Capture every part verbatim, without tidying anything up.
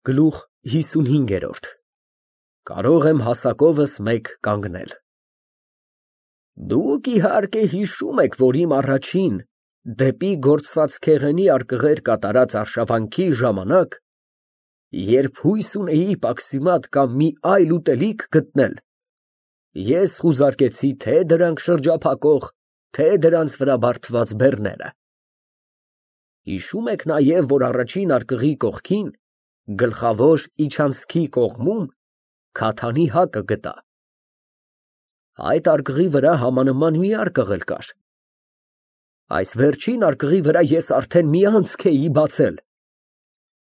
Գլուխ հիսունհինգ։ Կարող եմ հասակովս մեկ կանգնել։ Դուք իհարկե հիշում եք, որ իմ առաջին դեպի գործվածքեղենի արկղեր կատարած արշավանքի ժամանակ, երբ հույս ունեի պաքսիմատ կամ մի այլ ուտելիք գտնել, ես խուզարկեցի թե դրանք շրջափակող, թե դրանց վրա բարդված բեռները։ Հիշում եք նաև, որ առաջին արկղի կողքին, գլխավոր իջանցքի կողմում քաթանի հակը գտա։ Այդ արկղի վրա համանման մի արկղ էլ կար։ Այս վերջին արկղի վրա ես արդեն մի անցք էի բացել,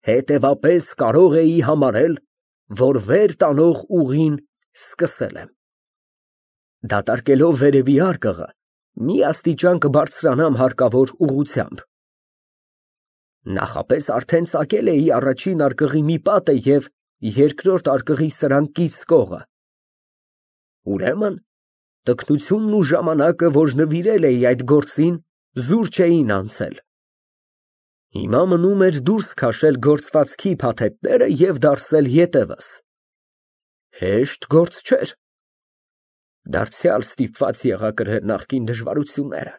հետևապես կարող էի համարել, որ վեր տանող ուղին սկսել եմ։ Դատարկելով վերևի արկղը, մի աստիճան կբարձրանամ հարկավոր ուղղությամբ։ Նախապես արդեն ծակել էի առաջին արկղի մի պատը և երկրորդ արկղի սրան կից կողը։ Ուրեմն, տքնությունն ու ժամանակը, որ նվիրել էի այդ գործին, զուր չէին անցել։ Հիմա մնում էր դուրս քաշել գործվածքի փաթեթները և դարսել ետևս։ Հեշտ գործ չէր։ Դարձյալ ստիպված եղա կրել նախկին դժվարությունները։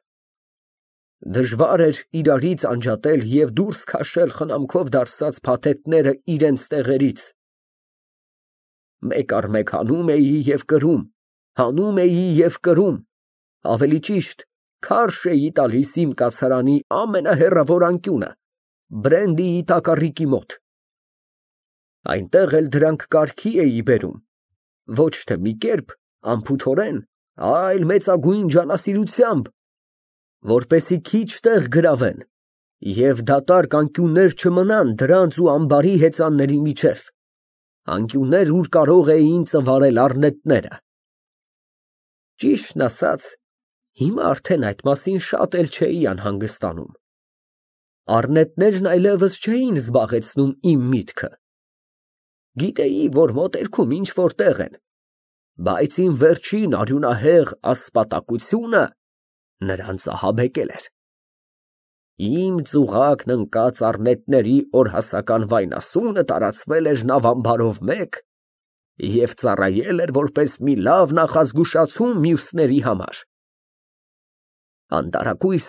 Դժվար էր իրարից անջատել և դուրս քաշել խնամքով դարսած փաթեթները իրենց տեղերից։ Մեկ առ մեկ հանում էի և կրում, հանում էի և կրում, ավելի ճիշտ, քարշ էի տալիս իմ կացարանի ամենահեռավոր անկյունը, Բրենդիի տակառիկի մոտ։ Այնտեղ էլ դրանք կարգի էի բերում, ոչ թե մի կերպ անփութորեն, այլ մեծագույն ջանասիրությամբ, որպեսզի քիչ տեղ գրավեն և դատարկ անկյուններ չմնան դրանց ու ամբարի հեծանների միջև, անկյուններ, ուր կարող էին ծվարել առնետները։ Ճիշտն ասած, հիմա արդեն այդ մասին շատ էլ չէի անհանգստանում։ Առնետներն այլևս չէին զբաղեցնում իմ միտքը։ Գիտեի, որ մոտերքում ինչ֊որ տեղ են, բայց իմ վերջին արյունահեղ ասպատակությունը նրանց ահաբեկել էր։ Իմ ծուղակն ընկած առնետների օրհասական վայնասունը տարածվել էր նավամբարով մեկ և ծառայել էր որպես մի լավ նախազգուշացում մյուսների համար։ Անտարակույս,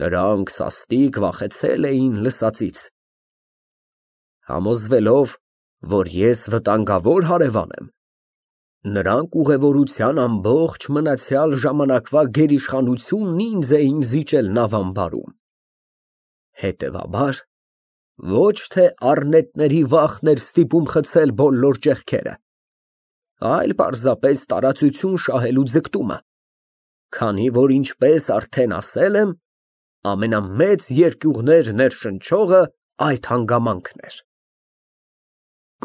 նրանք սաստիկ վախեցել էին լսածից։ Համոզվելով, որ ես վտանգավոր հարևան եմ, նրանք ուղևորության ամբողջ մնացյալ ժամանակվա գերիշխանությունն ինձ էին զիջել նավամբարում։ Հետևաբար, ոչ թե առնետների վախն էր ստիպում խցել բոլոր ճեղքերը, այլ պարզապես տարածություն շահելու ձգտումը, քանի որ, ինչպես արդեն ասել եմ, ամենամեծ երկյուղներ ներշնչողը այդ հանգամանքն էր։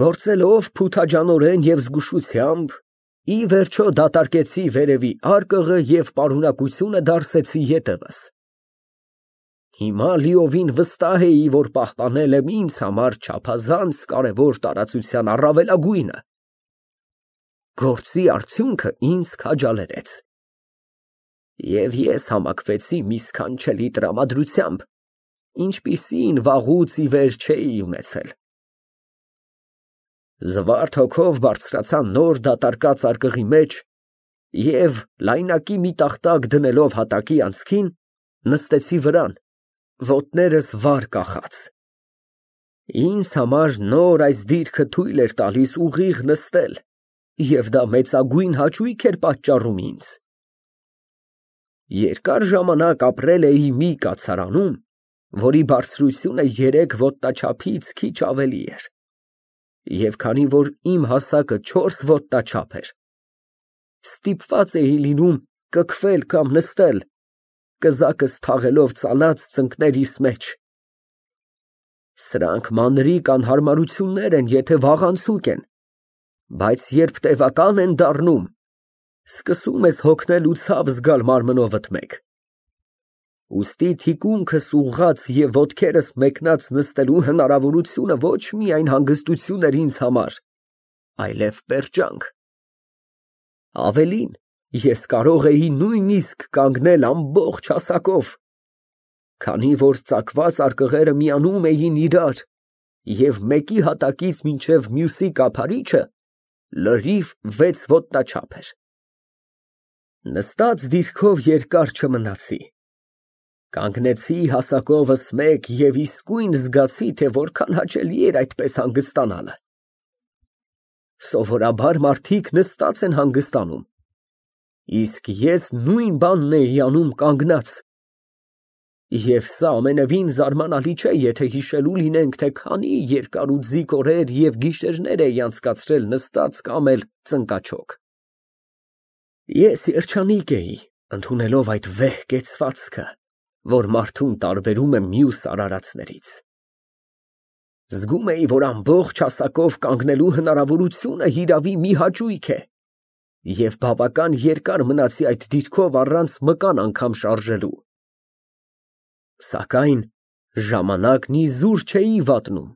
Գործելով փութաջանորեն և զգուշությամբ, ի վերջո դատարկեցի վերևի արկղը և պարունակությունը դարսեցի ետևս։ Հիմա լիովին վստահ էի, որ պահպանել եմ ինձ համար չափազանց կարևոր տարածության առավելագույնը։ Գործի արդյունքը ինձ քաջալերեց, և ես համակվեցի մի սքանչելի տրամադրությամբ, ինչպիսին վաղուց ի վեր չէի ունեցել։ Զվարթ հոգով բարձրացա նոր դատարկած արկղի մեջ և, լայնակի մի տախտակ դնելով հատակի անցքին, նստեցի վրան, ոտներս վար կախած։ Ինձ համար նոր այս դիրքը թույլ էր տալիս ուղիղ նստել, և դա մեծագույն հաճույք էր պատճառում ինձ։ Երկար ժամանակ ապրել էի մի կացարանում, որի բարձրությունը երեք ոտնաչափից քիչ ավելի էր, և քանի որ իմ հասակը չորս ոտնաչափ էր, ստիպված էի լինում կքվել կամ նստել, կզակս թաղելով ծալած ծնկներիս մեջ։ Սրանք մանրիկ անհարմարություններ են, եթե վաղանցիկ են, բայց երբ տևական են դառնում, սկսում ես հոգնել ու ցավ զգալ մարմնովդ մեջ։ Ուստի թիկունքս ուղղած և ոտքերս մեկնած նստելու հնարավորությունը ոչ միայն հանգստություն էր ինձ համար, այլև պերճանք։ Ավելին, ես կարող էի նույնիսկ կանգնել ամբողջ հասակով, քանի որ ծակված արկղերը միանում էին իրար և մեկի հատակից մինչև մյուսի կափարիչը լրիվ վեց ոտնաչափ էր։ Նստած դիրքով երկար չմնացի, կանգնեցի հասակովս մեկ և իսկույն զգացի, թե որքան հաճելի էր այդպես հանգստանալը։ Սովորաբար մարդիկ նստած են հանգստանում, իսկ ես նույն բանն էի անում կանգնած, և սա ամենևին զարմանալի չէ, եթե հիշելու լինենք, թե քանի երկար ու ձիգ օրեր և գիշերներ էի անցկացրել նստած կամ էլ ծնկաչոք։ Ես երջանիկ էի, ընդունելով այդ վեհ կեցվածքը, որ մարդուն տարբերում է մյուս արարածներից։ Զգում էի, որ ամբողջ հասակով կանգնելու հնարավորությունը հիրավի մի հաճույք է, և բավական երկար մնացի այդ դիրքով առանց մկան անգամ շարժելու։ Սակայն ժամանակն իզուր չէի վատնում,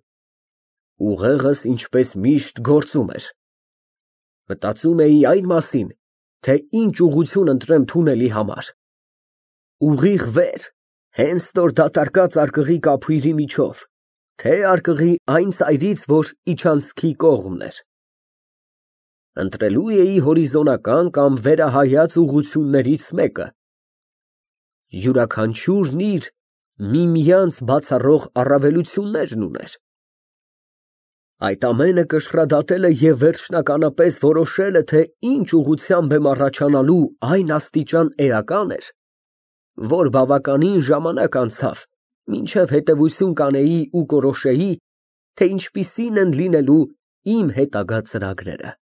ուղեղս ինչպես միշտ գործում էր։ Մտածում էի այն մասին, թե ինչ ուղղություն ընտրեմ թունելի համար։ Ուղիղ վեր, հենց նոր դատարկած արկղի կափույրի միջով, թե արկղի այն ծայրից, որ իջանցքի կողմն էր։ Ընտրելու էի հորիզոնական կամ վերահայաց ուղղություններից մեկը։ Յուրաքանչյուրն իր միմյանց բացառող առավելություններն ուներ։ Այդ ամենը կշռադատելը և վերջնականապես որոշելը, թե ինչ ուղղությամբ եմ առաջանալու, այն աստիճան էական էր, որ բավականին ժամանակ անցավ, մինչև հետևություն կանեի ու որոշեի, թե ինչպիսին են լինելու իմ հետագա ծրագրերը։